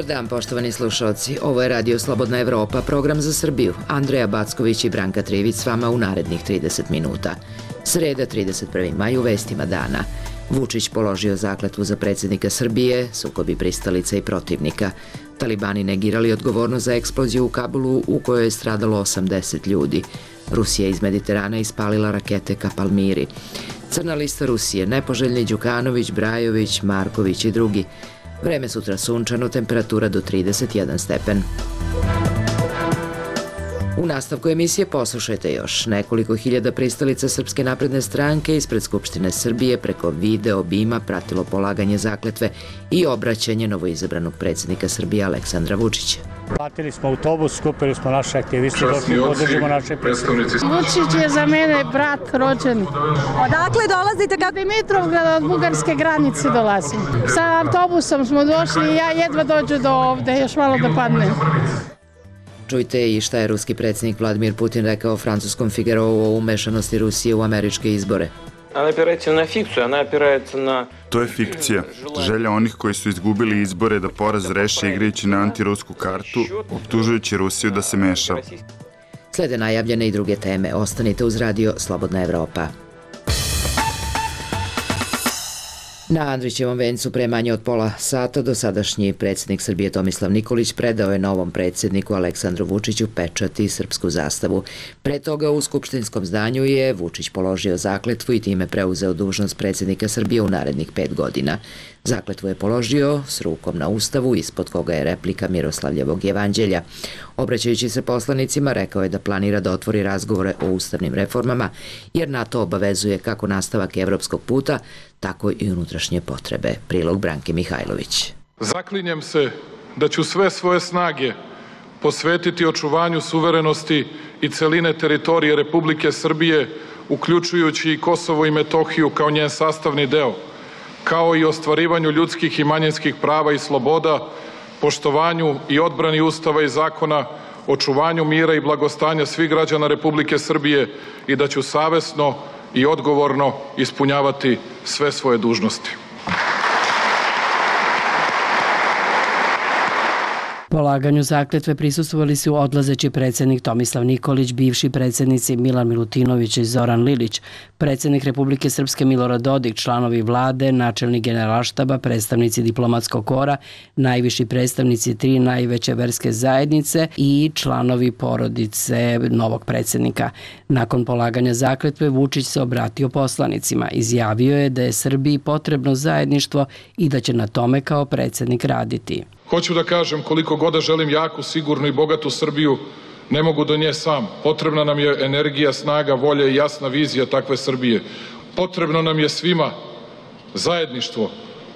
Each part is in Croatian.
Dobar dan, poštovani slušalci. Ovo je Radio Slobodna Evropa, program za Srbiju. Andreja Backović i Branka Trivić s vama u narednih 30 minuta. Sreda, 31. maj, u vestima dana. Vučić položio zakletvu za predsjednika Srbije, sukobi pristalica i protivnika. Talibani negirali odgovornost za eksploziju u Kabulu u kojoj je stradalo 80 ljudi. Rusija iz Mediterana ispalila rakete ka Palmiri. Crna lista Rusije, nepoželjni Đukanović, Brajović, Marković i drugi. Vreme sutra sunčano, temperatura do 31 stepen. U nastavku emisije poslušajte još. Nekoliko hiljada pristalica Srpske napredne stranke ispred Skupštine Srbije preko video obima pratilo polaganje zakletve i obraćanje novoizabranog predsjednika Srbije Aleksandra Vučića. Platili smo autobus, skupili smo naše aktiviste, došli podržimo naše predstavnice. Vučić je za mene brat rođeni. Odakle dolazite? Od Dimitrovgrada, od bugarske granice dolazim. Sa autobusom smo došli i ja jedva dođu do ovde, još malo da padnem. Čujte i šta je ruski predsjednik Vladimir Putin rekao francuskom Figarovu o umešanosti Rusije u američke izbore. To je fikcija. Želja onih koji su izgubili izbore da poraz reše igrajući na antirusku kartu, optužujući Rusiju da se meša. Slede najavljene i druge teme. Ostanite uz Radio Slobodna Evropa. Na Andrićevom vencu pre manje od pola sata dosadašnji predsjednik Srbije Tomislav Nikolić predao je novom predsjedniku Aleksandru Vučiću pečat i srpsku zastavu. Pre toga u skupštinskom zdanju je Vučić položio zakletvu i time preuzeo dužnost predsjednika Srbije u narednih 5 godina. Zakletvu je položio s rukom na ustavu, ispod koga je replika Miroslavljevog evanđelja. Obraćajući se poslanicima, rekao je da planira da otvori razgovore o ustavnim reformama, jer NATO obavezuje kako nastavak evropskog puta, tako i unutrašnje potrebe. Prilog Branke Mihajlović. Zaklinjem se da ću sve svoje snage posvetiti očuvanju suverenosti i celine teritorije Republike Srbije, uključujući i Kosovo i Metohiju kao njen sastavni deo, kao i ostvarivanju ljudskih i manjinskih prava i sloboda, poštovanju i odbrani Ustava i zakona, očuvanju mira i blagostanja svih građana Republike Srbije i da ću savesno i odgovorno ispunjavati sve svoje dužnosti. Polaganju zakletve prisustvovali su odlazeći predsjednik Tomislav Nikolić, bivši predsjednici Milan Milutinović i Zoran Lilić, predsjednik Republike Srpske Milorad Dodik, članovi vlade, načelnik generalštaba, predstavnici diplomatskog kora, najviši predstavnici 3 najveće verske zajednice i članovi porodice novog predsjednika. Nakon polaganja zakletve Vučić se obratio poslanicima. Izjavio je da je Srbiji potrebno zajedništvo i da će na tome kao predsjednik raditi. Hoću da kažem, koliko god da želim jaku, sigurnu i bogatu Srbiju, ne mogu do nje sam. Potrebna nam je energija, snaga, volja i jasna vizija takve Srbije. Potrebno nam je svima zajedništvo,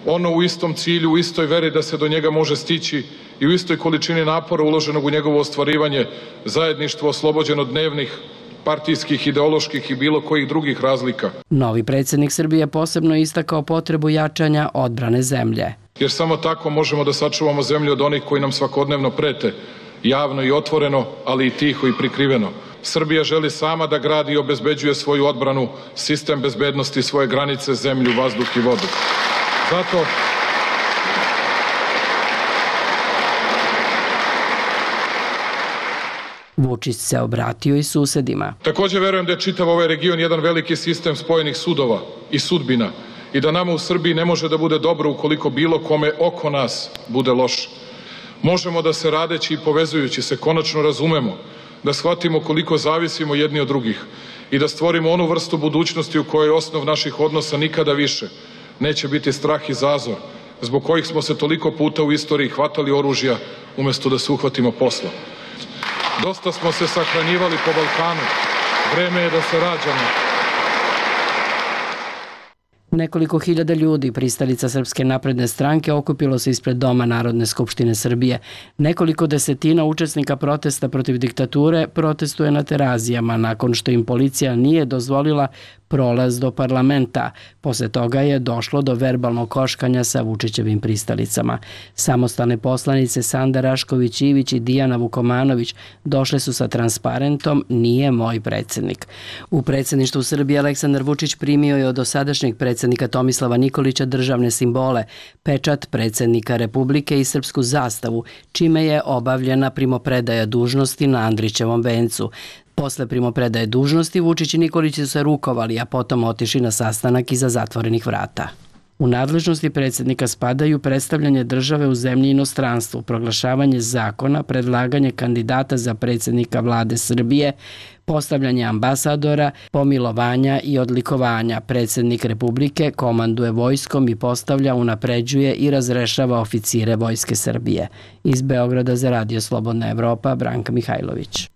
ono u istom cilju, u istoj veri da se do njega može stići i u istoj količini napora uloženog u njegovo ostvarivanje, zajedništvo oslobođeno dnevnih, partijskih, ideoloških i bilo kojih drugih razlika. Novi predsjednik Srbije posebno istakao potrebu jačanja odbrane zemlje. Jer samo tako možemo da sačuvamo zemlju od onih koji nam svakodnevno prete, javno i otvoreno, ali i tiho i prikriveno. Srbija želi sama da gradi i obezbeđuje svoju odbranu, sistem bezbednosti, svoje granice, zemlju, vazduh i vodu. Zato Vučić se obratio i susedima. također verujem da je čitav ovaj region jedan veliki sistem spojenih sudova i sudbina i da nama u Srbiji ne može da bude dobro ukoliko bilo kome oko nas bude loše. Možemo da se radeći i povezujući se konačno razumemo, da shvatimo koliko zavisimo jedni od drugih i da stvorimo onu vrstu budućnosti u kojoj osnov naših odnosa nikada više neće biti strah i zazor, zbog kojih smo se toliko puta u istoriji hvatali oružja umjesto da se uhvatimo posla. Dosta smo se sahranjivali po Balkanu, vreme je da se rađamo. Nekoliko hiljada ljudi, pristalica Srpske napredne stranke, okupilo se ispred Doma Narodne skupštine Srbije. Nekoliko desetina učesnika protesta protiv diktature protestuje na Terazijama nakon što im policija nije dozvolila prolaz do parlamenta. Posle toga je došlo do verbalnog koškanja sa Vučićevim pristalicama. Samostalne poslanice Sanda Rašković-Ivić i Dijana Vukomanović došle su sa transparentom "Nije moj predsjednik". U predsjedništvu Srbije Aleksandar Vučić primio je od dosadašnjeg predsjednika predsjednika Tomislava Nikolića državne simbole, pečat predsjednika Republike i srpsku zastavu, čime je obavljena primopredaja dužnosti na Andrićevom vencu. Posle primopredaje dužnosti Vučić i Nikolić su se rukovali, a potom otišli na sastanak iza zatvorenih vrata. U nadležnosti predsjednika spadaju predstavljanje države u zemlji i inostranstvu, proglašavanje zakona, predlaganje kandidata za predsjednika vlade Srbije, postavljanje ambasadora, pomilovanja i odlikovanja. Predsjednik Republike komanduje vojskom i postavlja, unapređuje i razrešava oficire Vojske Srbije. Iz Beograda za Radio Slobodna Evropa, Branka Mihajlović.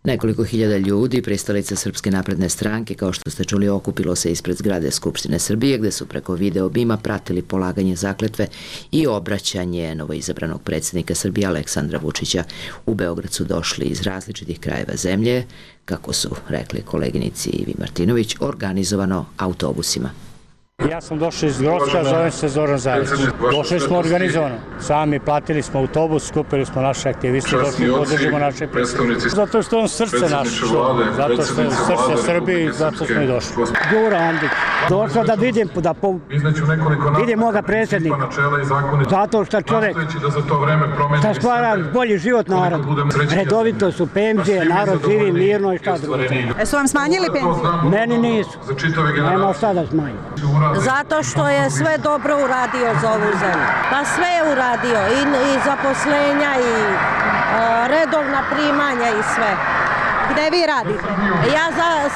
Nekoliko hiljada ljudi, pristalica Srpske napredne stranke, kao što ste čuli, okupilo se ispred zgrade Skupštine Srbije, gde su preko video bima pratili polaganje zakletve i obraćanje novoizabranog predsjednika Srbije Aleksandra Vučića. U Beograd su došli iz različitih krajeva zemlje, kako su rekli koleginici Ivi Martinović, organizovano autobusima. Ja sam došao iz Grocka, zovem se Zoran Zavić. Došli smo organizovano. Sami platili smo autobus, skupili smo naše aktiviste, došli podržimo naše predstavnice. Zato što on srce naše, zato što je srce Srbije i zato smo i došli. Đura Andić. Došao da vidim, vidim moga predsjednika. Zato što čovjek šta stvara bolji život narodu. Redovito su penzije, narod živi mirno i šta drugo. Su vam smanjili penzije? Meni nisu. Nema šta da smanjim. Zato što je sve dobro uradio za ovu zemlju. Pa sve je uradio, i zaposlenja, i redovna primanja, i sve. Gde vi radite? Ja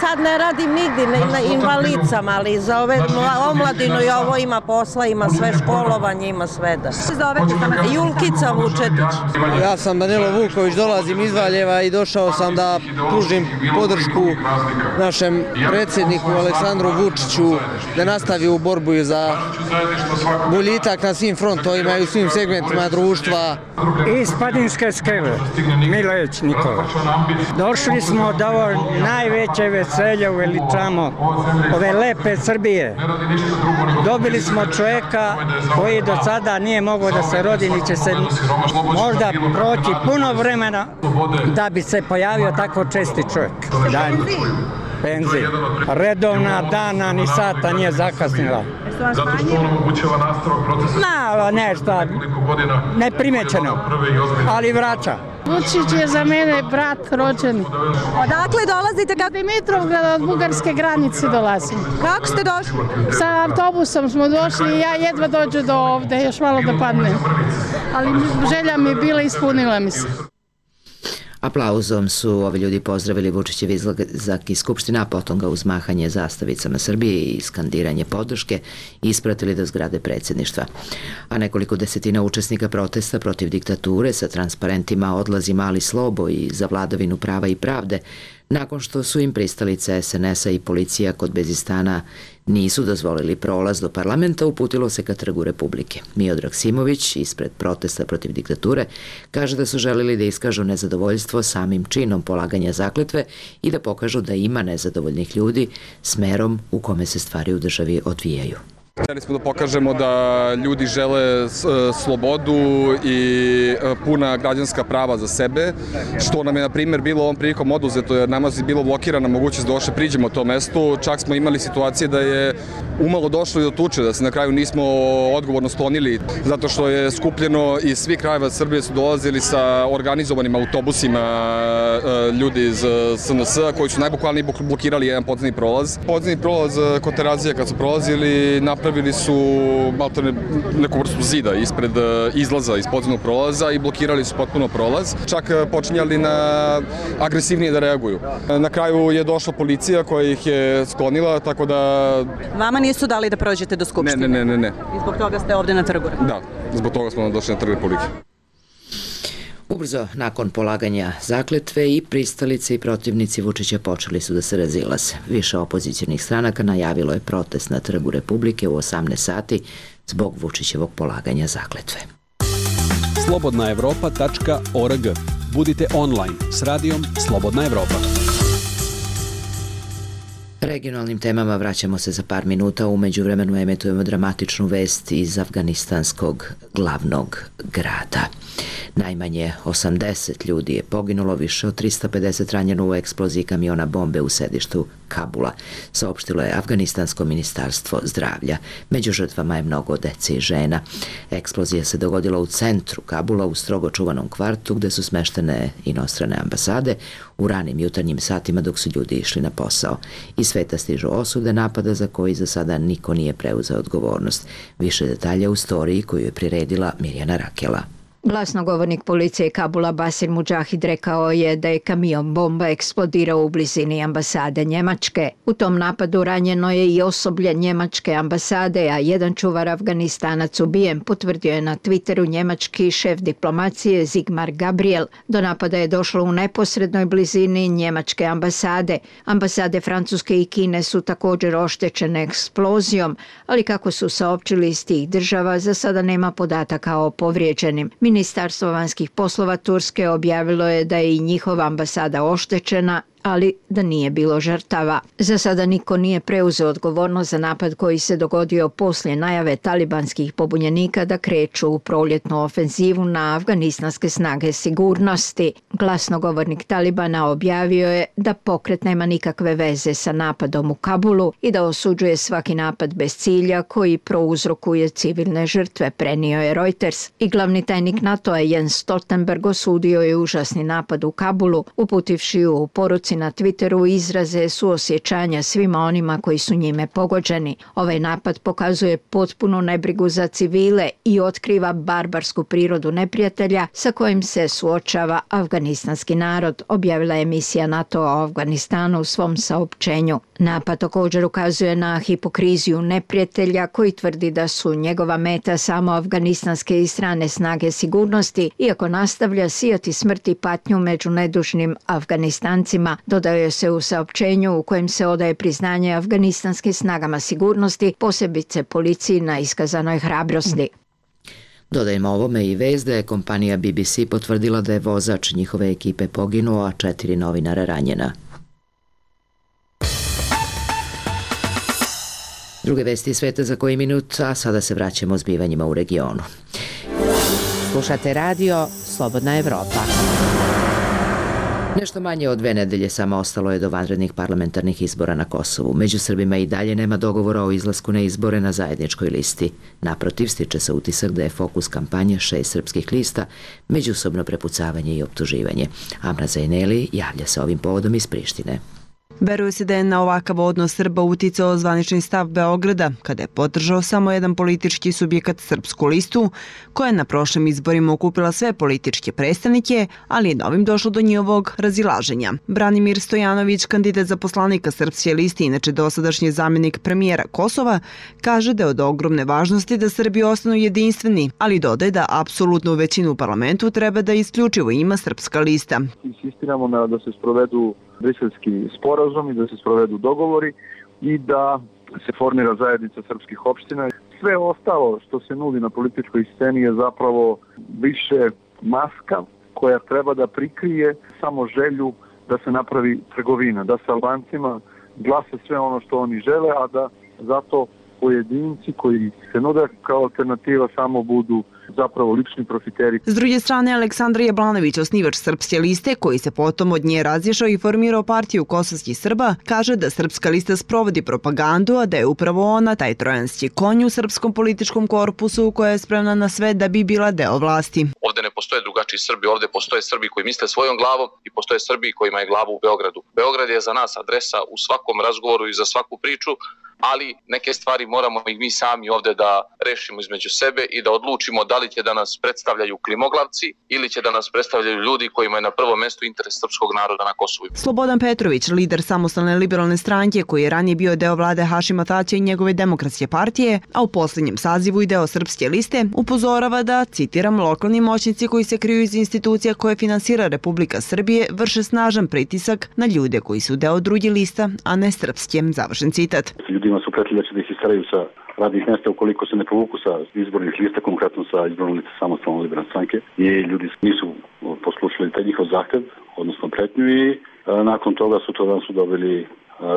sad ne radim nigdje na invalidcama, ali za ove omladinu i ovo ima posla, ima sve školovanje, ima sve da. Julkica Vučetić. Ja sam Danilo Vuković, dolazim iz Valjeva i došao sam da pružim podršku našem predsjedniku Aleksandru Vučiću da nastavi u borbu za boljitak na svim frontovima i u svim segmentima društva. Iz Padinske skele, Milojević Nikola. Došli smo da ovo najveće veselje uveličamo ove lepe Srbije. Dobili smo čovjeka koji do sada nije mogao da se rodi, ni će se možda proći puno vremena da bi se pojavio tako česti čovjek. Penzije. Redovna dana ni sata nije zakasnila. Zato što on omogućava nastavak procesa. Nešto neprimećeno, ali vraća. Vučić je za mene brat rođeni. Odakle dolazite? Dimitrovgrad, od bugarske granice dolazim. Kako ste došli? Sa autobusom smo došli i ja jedva dođu do ovde, još malo da padnem. Ali želja mi je bila, ispunila mi se. Aplauzom su ovi ljudi pozdravili Vučićev izlazak iz Skupštine, a potom ga uz mahanje zastavicama Srbije i skandiranje podrške ispratili do zgrade predsjedništva. A nekoliko desetina učesnika protesta protiv diktature sa transparentima Odlazi mali Slobo i Za vladavinu prava i pravde, nakon što su im pristalice SNS-a i policija kod Bezistana nisu dozvolili prolaz do parlamenta, uputilo se ka Trgu Republike. Miodrag Simović, ispred protesta protiv diktature, kaže da su želeli da iskažu nezadovoljstvo samim činom polaganja zakletve i da pokažu da ima nezadovoljnih ljudi smerom u kome se stvari u državi odvijaju. Htjeli smo da pokažemo da ljudi žele slobodu i puna građanska prava za sebe, što nam je, na primjer, bilo ovom prilikom oduzeto, jer nama je bilo blokirana mogućnost da uopšte priđemo tom mestu. Čak smo imali situacije da je umalo došlo i do tuče, da se na kraju nismo odgovorno sklonili, zato što je skupljeno iz svih krajeva Srbije su dolazili sa organizovanim autobusima ljudi iz SNS, koji su najbukvalnije blokirali jedan podzemni prolaz. Podzemni prolaz kod Terazija kad su prolazili, napravili su neku vrstu zida ispred izlaza iz podzemnog prolaza i blokirali su potpuno prolaz. Čak počinjali na agresivnije da reaguju. Na kraju je došla policija koja ih je sklonila, tako da... Vama nisu dali da prođete do Skupštine? Ne. I zbog toga ste ovde na Trgu? Da, zbog toga smo došli na Trg Republike. Ubrzo, nakon polaganja zakletve, i pristalice i protivnici Vučića počeli su da se razilaze. Više opozicionih stranaka najavilo je protest na Trgu Republike u 18 sati zbog Vučićevog polaganja zakletve. slobodnaevropa.org. Budite online s radijom Slobodna Evropa. Regionalnim temama vraćamo se za par minuta, u međuvremenu emitujemo dramatičnu vest iz afganistanskog glavnog grada. Najmanje 80 ljudi je poginulo, više od 350 ranjeno u eksploziji kamiona bombe u sedištu Kabula, saopštilo je Afganistansko ministarstvo zdravlja. Među žrtvama je mnogo dece i žena. Eksplozija se dogodila u centru Kabula, u strogo čuvanom kvartu gde su smeštene inostrane ambasade u ranim jutarnjim satima dok su ljudi išli na posao. Iz sveta stižu osude napada za koji za sada niko nije preuzeo odgovornost. Više detalja u storiji koju je priredila Mirjana Rakela. Glasnogovornik policije Kabula Basir Mudžahid rekao je da je kamion bomba eksplodirao u blizini ambasade Njemačke. U tom napadu ranjeno je i osoblje Njemačke ambasade, a jedan čuvar Afganistanac ubijen, potvrdio je na Twitteru njemački šef diplomacije Sigmar Gabriel. Do napada je došlo u neposrednoj blizini Njemačke ambasade. Ambasade Francuske i Kine su također oštećene eksplozijom, ali kako su saopćili iz tih država, za sada nema podataka o povrijeđenim. Ministarstvo vanjskih poslova Turske objavilo je da je i njihova ambasada oštećena, ali da nije bilo žrtava. Za sada niko nije preuzeo odgovornost za napad koji se dogodio poslije najave talibanskih pobunjenika da kreću u proljetnu ofenzivu na afganistanske snage sigurnosti. Glasnogovornik Talibana objavio je da pokret nema nikakve veze sa napadom u Kabulu i da osuđuje svaki napad bez cilja koji prouzrokuje civilne žrtve, prenio je Reuters. I glavni tajnik NATO-a Jens Stoltenberg osudio je užasni napad u Kabulu, uputivši u poruci na Twitteru izraze suosjećanja svima onima koji su njime pogođeni. Ovaj napad pokazuje potpunu nebrigu za civile i otkriva barbarsku prirodu neprijatelja sa kojim se suočava afganistanski narod, objavila je misija NATO o Afganistanu u svom saopćenju. Napad također ukazuje na hipokriziju neprijatelja koji tvrdi da su njegova meta samo afganistanske i strane snage sigurnosti, iako nastavlja sijati smrt i patnju među nedužnim Afganistancima, dodaje se u saopćenju u kojem se odaje priznanje afganistanskim snagama sigurnosti, posebice policiji na iskazanoj hrabrosti. Dodajmo ovome i vest da je kompanija BBC potvrdila da je vozač njihove ekipe poginuo, a 4 novinara ranjena. Druge vesti sveta za koji minut, a sada se vraćamo zbivanjima u regionu. Slušate radio Slobodna Evropa. Nešto manje od 2 nedelje samo ostalo je do vanrednih parlamentarnih izbora na Kosovu. Među Srbima i dalje nema dogovora o izlasku na izbore na zajedničkoj listi. Naprotiv, stiče se utisak da je fokus kampanje 6 srpskih lista, međusobno prepucavanje i optuživanje. Amra Zajneli javlja se ovim povodom iz Prištine. Veruje se da je na ovakav odnos Srba uticao zvanični stav Beograda, kada je podržao samo jedan politički subjekat Srpsku listu, koja je na prošlim izborima okupila sve političke predstavnike, ali je novim došlo do njihovog razilaženja. Branimir Stojanović, kandidat za poslanika Srpske liste, inače dosadašnji zamjenik premijera Kosova, kaže da je od ogromne važnosti da Srbi ostanu jedinstveni, ali dodaje da apsolutnu većinu u parlamentu treba da isključivo ima Srpska lista. Insistiramo da se sprovedu briselski sporazum i da se sprovedu dogovori i da se formira zajednica srpskih opština. Sve ostalo što se nudi na političkoj sceni je zapravo više maska koja treba da prikrije samo želju da se napravi trgovina, da se Albancima glasa sve ono što oni žele, a da zato pojedinci koji se nude kao alternativa samo budu zapravo lični profiteri. S druge strane, Aleksandar Jablanović, osnivač Srpske liste, koji se potom od nje razišao i formirao partiju kosovskih Srba, kaže da Srpska lista sprovodi propagandu, a da je upravo ona taj trojanski konj u srpskom političkom korpusu koja je spremna na sve da bi bila deo vlasti. Ovde ne postoje drugačiji Srbi, ovde postoje Srbi koji misle svojom glavom i postoje Srbi kojima je glava u Beogradu. Beograd je za nas adresa u svakom razgovoru i za svaku priču, ali neke stvari moramo i mi sami ovde da rešimo između sebe i da odlučimo da li će da nas predstavljaju klimoglavci ili će da nas predstavljaju ljudi kojima je na prvom mestu interes srpskog naroda na Kosovu. Slobodan Petrović, lider samostalne liberalne stranke koji je ranije bio deo vlade Hašima Tačija i njegove demokratske partije, a u posljednjem sazivu i deo Srpske liste, upozorava da, citiram, lokalni moćnici koji se kriju iz institucija koje finansira Republika Srbije vrše snažan pritisak na ljude koji su deo druge lista, a ne srpske, završen citat. Ljudima su pretili da će da ih istaraju sa radnih mjesta ukoliko se ne povuku sa izbornih lista, konkretno sa izbornom lista samostalne liberalne stranke. I ljudi nisu poslušali taj njihov zahtev, odnosno pretnju, i nakon toga su dobili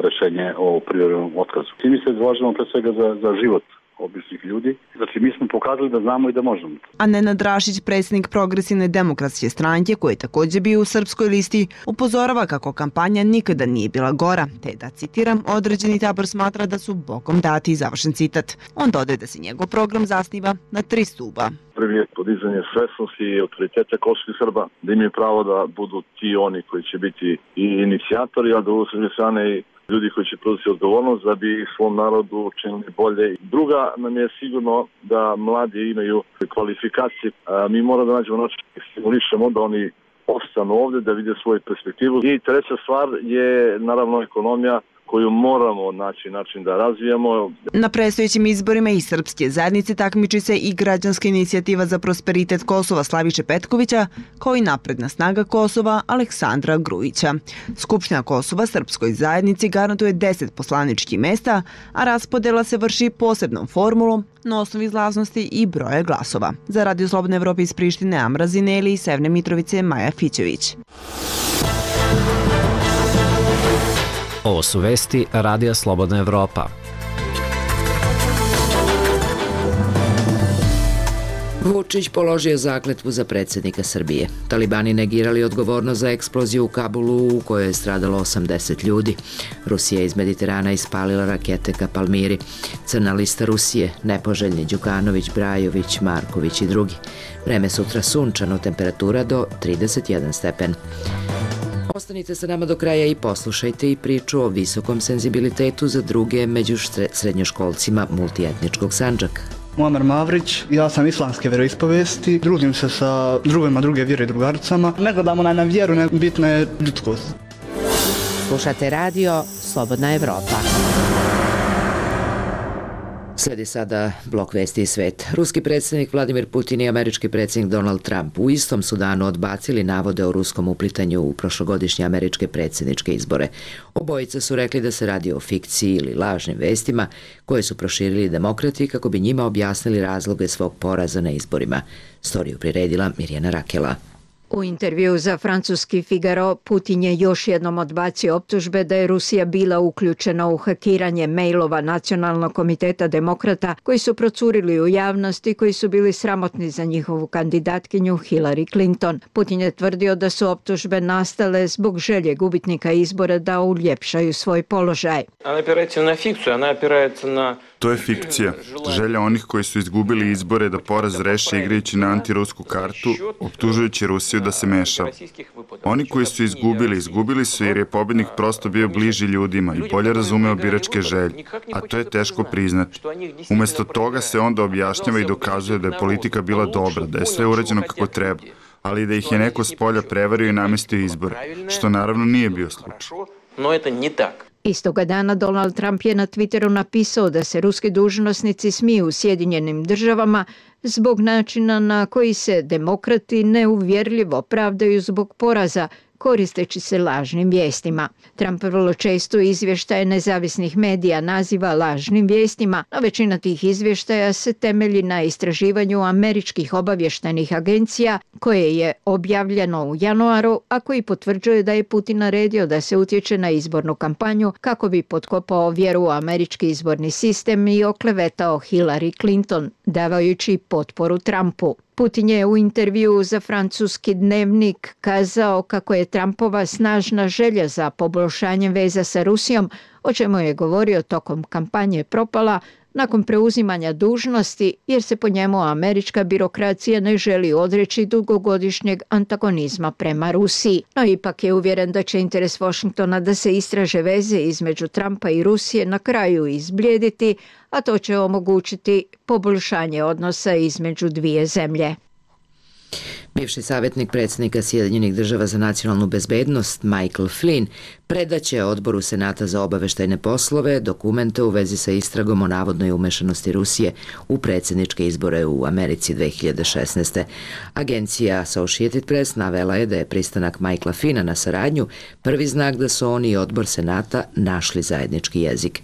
rešenje o privremenom otkazu. I mi se zalažemo pre svega za život običnih ljudi. Znači, mi smo pokazali da znamo i da možemo. A Nenad Rašić, predsjednik Progresivne demokratske stranke, koji je također bio u srpskoj listi, upozorava kako kampanja nikada nije bila gora, te da, citiram, određeni tabor smatra da su Bogom dati, završen citat. On dodaje da se njegov program zasniva na 3 stuba. Prvi je podizanje svesnosti i autoriteta kosovskih Srba, da imaju pravo da budu ti oni koji će biti i inicijatori, a da u druge strane i ljudi koji će preuzeti odgovornost da bi svom narodu učinili bolje. Druga nam je sigurno da mladi imaju kvalifikacije. Mi moramo da nađemo način da stimulišemo da oni ostanu ovde, da vide svoju perspektivu. I treća stvar je naravno ekonomija koju moramo naći način da razvijamo. Na predstojećim izborima i srpske zajednice takmiči se i građanska inicijativa za prosperitet Kosova Slaviše Petkovića, kao i napredna snaga Kosova Aleksandra Grujića. Skupština Kosova srpskoj zajednici garantuje 10 poslaničkih mesta, a raspodela se vrši posebnom formulom na osnovi izlaznosti i broja glasova. Za Radio Slobodne Evrope iz Prištine, Amra Zineli i Severne Mitrovice, Maja Fićević. Ovo su vesti Radija Slobodna Evropa. Vučić položio zakletvu za predsjednika Srbije. Talibani negirali odgovornost za eksploziju u Kabulu u kojoj je stradalo 80 ljudi. Rusija iz Mediterana ispalila rakete ka Palmiri. Crna lista Rusije, nepoželjni Đukanović, Brajović, Marković i drugi. Vreme sutra sunčano, temperatura do 31 stepen. Ostanite sa nama do kraja i poslušajte i priču o visokom senzibilitetu za druge među srednjoškolcima multietničkog Sandžaka. Muamer Mavrić, ja sam islamske vjeroispovesti, družim se sa drugima druge vjere i drugaricama. Ne gledamo na vjeru, ne bitna je ljudskost. Slušate radio Slobodna Evropa. Sledi sada blok vesti i svet. Ruski predsjednik Vladimir Putin i američki predsjednik Donald Trump u istom su danu odbacili navode o ruskom uplitanju u prošlogodišnje američke predsjedničke izbore. Obojica su rekli da se radi o fikciji ili lažnim vestima koje su proširili demokrati kako bi njima objasnili razloge svog poraza na izborima. Storiju priredila Mirjana Rakela. U intervju za francuski Figaro, Putin je još jednom odbacio optužbe da je Rusija bila uključena u hakiranje mailova Nacionalnog komiteta demokrata koji su procurili u javnosti i koji su bili sramotni za njihovu kandidatkinju Hillary Clinton. Putin je tvrdio da su optužbe nastale zbog želje gubitnika izbora da uljepšaju svoj položaj. To je fikcija. Želja onih koji su izgubili izbore da poraz reše igrajući na antirusku kartu, optužujući Rusiju da se meša. Oni koji su izgubili su jer je pobednik prosto bio bliži ljudima i bolje razumeo biračke želje, a to je teško priznati. Umesto toga se onda objašnjava i dokazuje da je politika bila dobra, da je sve urađeno kako treba, ali da ih je neko s polja prevario i namestio izbore, što naravno nije bio slučaj. Istoga dana Donald Trump je na Twitteru napisao da se ruski dužnosnici smiju u Sjedinjenim državama zbog načina na koji se demokrati neuvjerljivo pravdaju zbog poraza, koristeći se lažnim vijestima. Trump vrlo često izvještaje nezavisnih medija naziva lažnim vijestima, a većina tih izvještaja se temelji na istraživanju američkih obavještajnih agencija koje je objavljeno u januaru, a koji potvrđuje da je Putin naredio da se utječe na izbornu kampanju kako bi potkopao vjeru u američki izborni sistem i oklevetao Hillary Clinton, davajući potporu Trumpu. Putin je u intervjuu za francuski dnevnik kazao kako je Trumpova snažna želja za poboljšanjem veza sa Rusijom, o čemu je govorio tokom kampanje, propala nakon preuzimanja dužnosti jer se po njemu američka birokracija ne želi odreći dugogodišnjeg antagonizma prema Rusiji. No ipak je uvjeren da će interes Washingtona da se istraže veze između Trumpa i Rusije na kraju izblijediti, a to će omogućiti poboljšanje odnosa između dvije zemlje. Bivši savjetnik predsjednika Sjedinjenih država za nacionalnu bezbednost Michael Flynn predaće Odboru Senata za obaveštajne poslove dokumente u vezi sa istragom o navodnoj umešanosti Rusije u predsjedničke izbore u Americi 2016. Agencija Associated Press navela je da je pristanak Michaela Flynna na saradnju prvi znak da su oni i Odbor Senata našli zajednički jezik.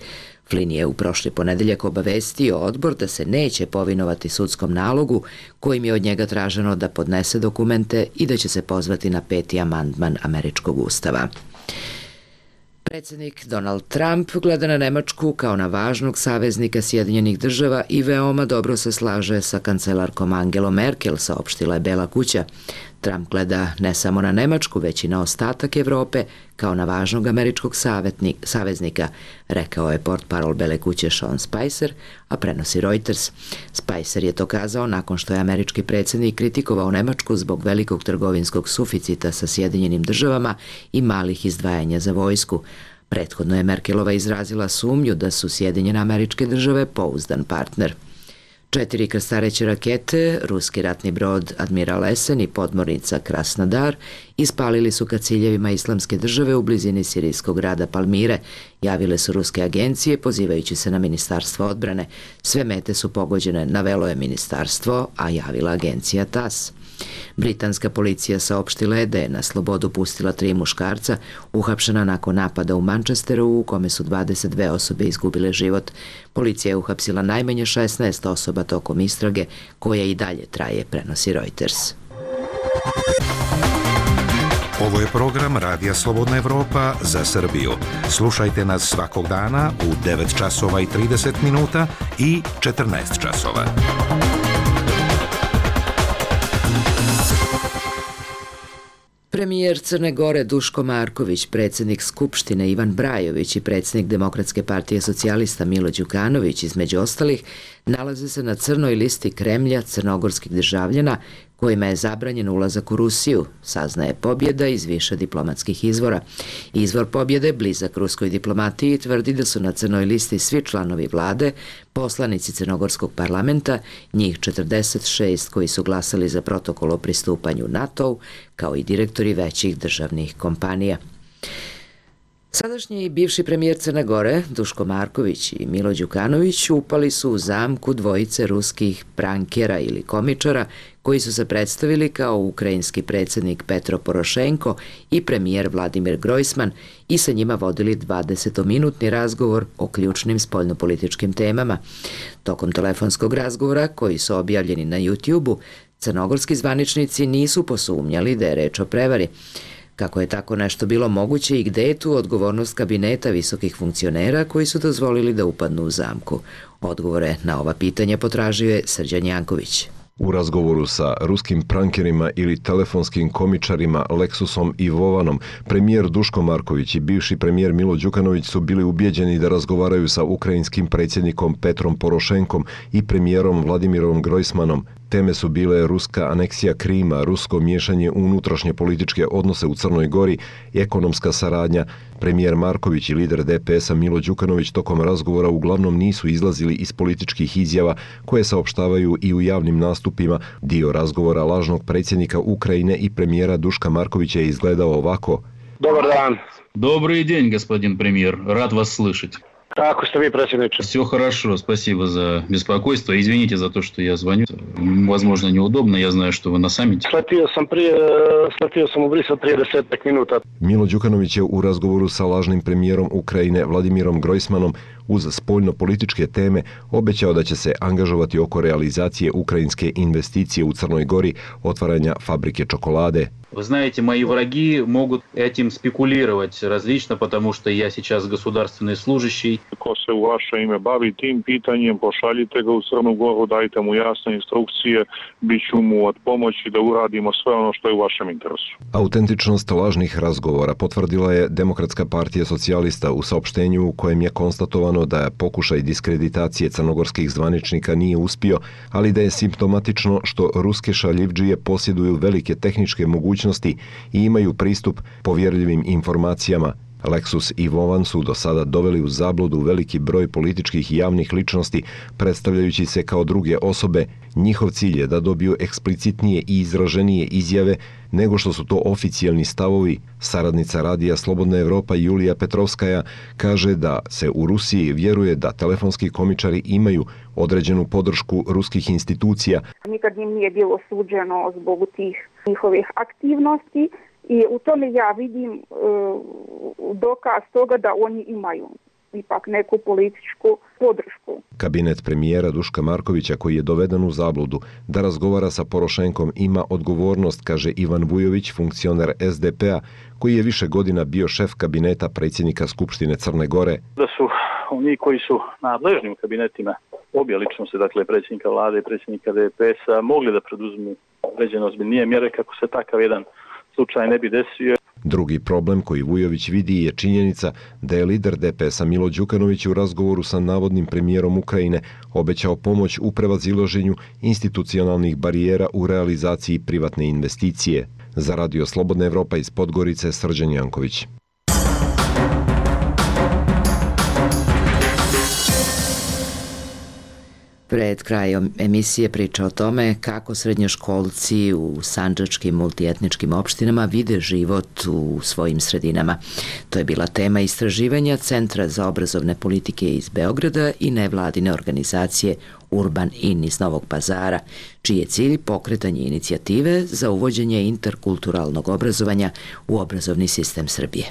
Flynn je u prošli ponedeljak obavestio odbor da se neće povinovati sudskom nalogu kojim je od njega traženo da podnese dokumente i da će se pozvati na 5. amandman američkog ustava. Predsjednik Donald Trump gleda na Nemačku kao na važnog saveznika Sjedinjenih država i veoma dobro se slaže sa kancelarkom Angelom Merkel, saopštila je Bela kuća. Trump gleda ne samo na Nemačku, već i na ostatak Evrope kao na važnog američkog saveznika, rekao je portparol Bele kuće Sean Spicer, a prenosi Reuters. Spicer je to kazao nakon što je američki predsjednik kritikovao Nemačku zbog velikog trgovinskog suficita sa Sjedinjenim državama i malih izdvajanja za vojsku. Prethodno je Merkelova izrazila sumnju da su Sjedinjene Američke Države pouzdan partner. 4 krstareće rakete, ruski ratni brod Admiral Esen i podmornica Krasnodar ispalili su ka ciljevima Islamske države u blizini sirijskog grada Palmire, javile su ruske agencije pozivajući se na Ministarstvo odbrane. Sve mete su pogođene, navelo je ministarstvo, a javila agencija TASS. Britanska policija saopštila je da je na slobodu pustila 3 muškarca uhapšena nakon napada u Manchesteru u kome su 22 osobe izgubile život. Policija je uhapsila najmanje 16 osoba tokom istrage koja i dalje traje, prenosi Reuters. Ovo je program Radija Slobodna Evropa za Srbiju. Slušajte nas svakog dana u 9 časova i 30 minuta i 14 časova. Premijer Crne Gore Duško Marković, predsjednik Skupštine Ivan Brajović i predsjednik Demokratske partije socijalista Milo Đukanović, između ostalih, nalaze se na crnoj listi Kremlja crnogorskih državljana kojima je zabranjen ulazak u Rusiju, saznaje Pobjeda iz više diplomatskih izvora. Izvor Pobjede, blizak ruskoj diplomatiji, tvrdi da su na crnoj listi svi članovi vlade, poslanici crnogorskog parlamenta, njih 46 koji su glasali za protokol o pristupanju NATO-u, kao i direktori većih državnih kompanija. Sadašnji i bivši premijer Crne Gore, Duško Marković i Milo Đukanović, upali su u zamku dvojice ruskih prankera ili komičara koji su se predstavili kao ukrajinski predsjednik Petro Porošenko i premijer Vladimir Grojsman i sa njima vodili 20-minutni razgovor o ključnim spoljnopolitičkim temama. Tokom telefonskog razgovora, koji su objavljeni na YouTube-u, crnogorski zvaničnici nisu posumnjali da je reč o prevari. Kako je tako nešto bilo moguće i gde je tu odgovornost kabineta visokih funkcionera koji su dozvolili da upadnu u zamku? Odgovore na ova pitanja potražio je Srđan Janković. U razgovoru sa ruskim prankerima ili telefonskim komičarima Leksusom i Vovanom, premijer Duško Marković i bivši premijer Milo Đukanović su bili ubijeđeni da razgovaraju sa ukrajinskim predsjednikom Petrom Porošenkom i premijerom Vladimirom Grojsmanom. Teme su bile ruska aneksija Krima, rusko miješanje u unutrašnje političke odnose u Crnoj Gori, ekonomska saradnja. Premijer Marković i lider DPS-a Milo Đukanović tokom razgovora uglavnom nisu izlazili iz političkih izjava koje saopštavaju i u javnim nastupima. Dio razgovora lažnog predsjednika Ukrajine i premijera Duška Markovića je izgledao ovako. Dobar dan. Добрый день, господин премьер. Рад вас слышать. Kako ste vi, predsjedniče? Все хорошо, спасибо за беспокойство. Извините за то, что я звоню. Возможно, неудобно, я знаю, что вы на саммите. Sletio sam u Brisel prije 10 minuta. Milo Đukanović je u razgovoru sa lažnim premijerom Ukrajine Vladimirom Grojsmanom uz spoljno-političke teme obećao da će se angažovati oko realizacije ukrajinske investicije u Crnoj Gori, otvaranja fabrike čokolade. Вы знаете, мои враги могут этим спекулировать различно, потому что я сейчас государственный служащий. Ko se u vaše ime bavi tim pitanjem, pošaljite ga u Crnu Goru, dajte mu jasne instrukcije, bit ću mu od pomoći da uradimo sve ono što je u vašem interesu. Autentičnost lažnih razgovora potvrdila je Demokratska partija socijalista u saopštenju u kojem je konstatovano da je pokušaj diskreditacije crnogorskih zvaničnika nije uspio, ali da je simptomatično što ruske šaljivdžije posjeduju velike tehničke mogućnosti i imaju pristup povjerljivim informacijama. Leksus i Vovan su do sada doveli u zabludu veliki broj političkih i javnih ličnosti, predstavljajući se kao druge osobe. Njihov cilj je da dobiju eksplicitnije i izraženije izjave nego što su to oficijalni stavovi. Saradnica Radija Slobodna Evropa Julija Petrovskaja kaže da se u Rusiji vjeruje da telefonski komičari imaju određenu podršku ruskih institucija. Nikad im nije bilo suđeno zbog tih njihovih aktivnosti. I u tome ja vidim dokaz toga da oni imaju ipak neku političku podršku. Kabinet premijera Duška Markovića, koji je doveden u zabludu da razgovara sa Porošenkom, ima odgovornost, kaže Ivan Vujović, funkcioner SDP-a, koji je više godina bio šef kabineta predsjednika Skupštine Crne Gore. Da su oni koji su nadležni u kabinetima obje ličnosti, dakle predsjednika vlade i predsjednika DPS-a, mogli da preduzmu određene ozbiljnije mjere kako se takav jedan slučaj ne bi desio. Drugi problem koji Vujović vidi je činjenica da je lider DPS-a Milo Đukanović u razgovoru sa navodnim premijerom Ukrajine obećao pomoć u prevazilaženju institucionalnih barijera u realizaciji privatne investicije. Za Radio Slobodna Evropa iz Podgorice, Srđan Janković. Pred krajom emisije priča o tome kako srednjoškolci u sandžačkim multietničkim opštinama vide život u svojim sredinama. To je bila tema istraživanja Centra za obrazovne politike iz Beograda i nevladine organizacije Urban In iz Novog Pazara, čiji je cilj pokretanje inicijative za uvođenje interkulturalnog obrazovanja u obrazovni sistem Srbije.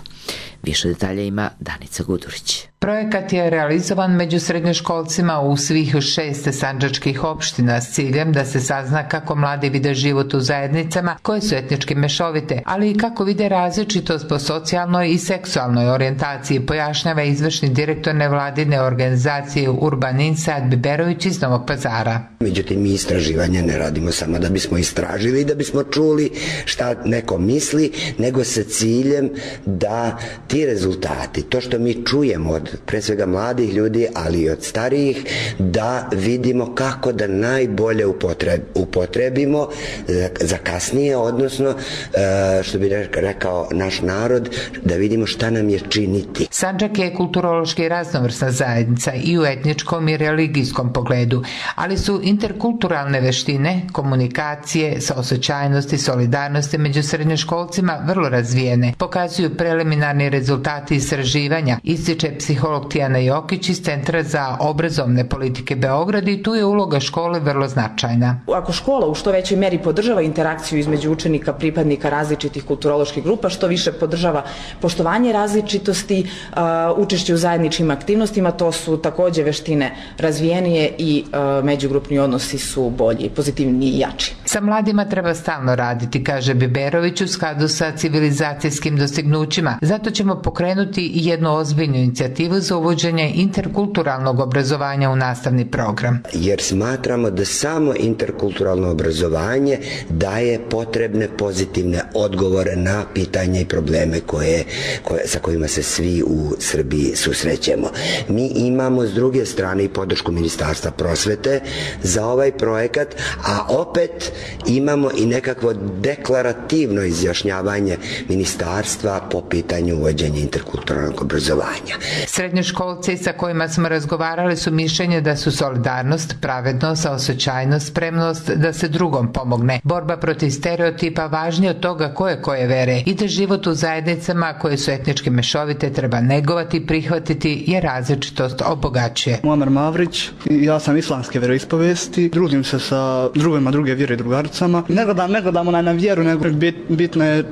Više detalja ima Danica Gudurić. Projekat je realizovan među srednjoškolcima u svih 6 sandžačkih opština s ciljem da se sazna kako mladi vide život u zajednicama koje su etnički mešovite, ali i kako vide različitost po socijalnoj i seksualnoj orijentaciji, pojašnjava izvršni direktor nevladine organizacije Urban In Sad Biberović iz Novog Pazara. Međutim, mi istraživanja ne radimo samo da bismo istražili i da bismo čuli šta neko misli, nego sa ciljem da ti rezultati, to što mi čujemo od pre svega mladih ljudi, ali i od starijih, da vidimo kako da najbolje upotrebimo za kasnije, odnosno, što bi rekao naš narod, da vidimo šta nam je činiti. Sandžak je kulturološki raznovrsna zajednica i u etničkom i religijskom pogledu, ali su interkulturalne veštine, komunikacije, saosećajnost i solidarnosti među srednjoškolcima vrlo razvijene, pokazuju preliminarni rezultati istraživanja, ističe psiholog Tijana Jokić iz Centra za obrazovne politike Beograd, i tu je uloga škole vrlo značajna. Ako škola u što većoj meri podržava interakciju između učenika, pripadnika različitih kulturoloških grupa, što više podržava poštovanje različitosti, učešće u zajedničkim aktivnostima, to su takođe veštine razvijenije i međugrupni odnosi su bolji, pozitivniji i jači. Sa mladima treba stalno raditi, kaže Biberović, u skladu sa civilizacijskim dostignućima. Zato ćemo pokrenuti jednu ozbiljnu inicijativu za uvođenje interkulturalnog obrazovanja u nastavni program. Jer smatramo da samo interkulturalno obrazovanje daje potrebne pozitivne odgovore na pitanja i probleme sa kojima se svi u Srbiji susrećemo. Mi imamo s druge strane i podršku Ministarstva prosvete za ovaj projekat, a opet imamo i nekakvo deklarativno izjašnjavanje ministarstva po pitanju uvođenja interkulturalnog obrazovanja. Srednjoškolci sa kojima smo razgovarali su mišljenja da su solidarnost, pravednost, saosećajnost, spremnost da se drugom pomogne, borba protiv stereotipa važnije od toga koje vere i da život u zajednicama koje su etnički mešovite treba negovati, prihvatiti jer različitost obogaćuje. Muamer Mavrić, ja sam islamske veroispovesti, družim se sa drugima druge vjere i drugaricama. Ne gledamo na vjeru, nego bitna je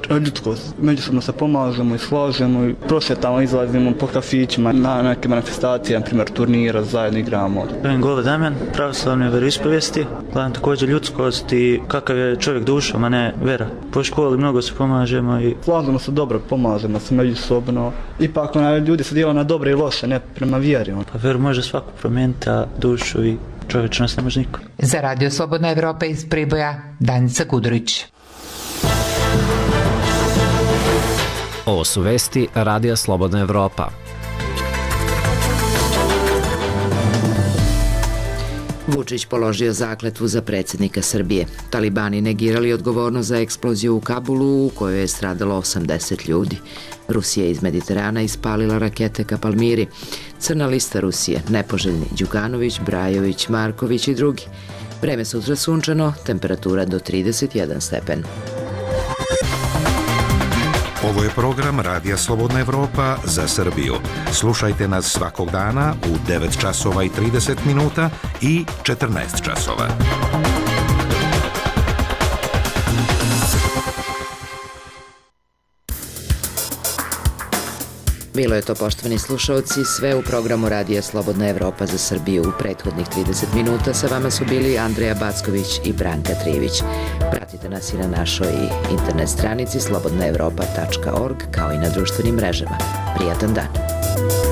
ljudskost. Međusobno se pomažemo i složimo i prosvjetamo, izlazimo po kafićima na neke manifestacije, na primjer turnira, zajedno igramo. Zovem Gole Damjan, pravoslavne veroispovesti, gledam također ljudskost i kakav je čovjek dušom, a ne vera. Po školi mnogo se pomažemo i slažemo se dobro, pomažemo se međusobno. Ipak ljudi se dijela na dobre i loše, ne prema vjeri. Pa veru može svako promijeniti, a dušu i čovječnost ne može niko. Za Radio Slobodna Evropa iz Priboja, Danica Gudurić. Ovo su vesti Radija Slobodna Evropa. Vučić položio zakletvu za predsjednika Srbije. Talibani negirali odgovornost za eksploziju u Kabulu u kojoj je stradalo 80 ljudi. Rusija iz Mediterana ispalila rakete ka Palmiri. Crna lista Rusije, nepoželjni Đukanović, Brajović, Marković i drugi. Vreme sutra sunčano, temperatura do 31 stepen. Ovo je program Radija Slobodna Evropa za Srbiju. Slušajte nas svakog dana u 9 časova i 30 minuta i 14 časova. Bilo je to, poštovani slušalci, sve u programu Radija Slobodna Evropa za Srbiju. U prethodnih 30 minuta sa vama su bili Andreja Backović i Branka Trijević. Pratite nas i na našoj internet stranici slobodnaevropa.org kao i na društvenim mrežama. Prijatan dan!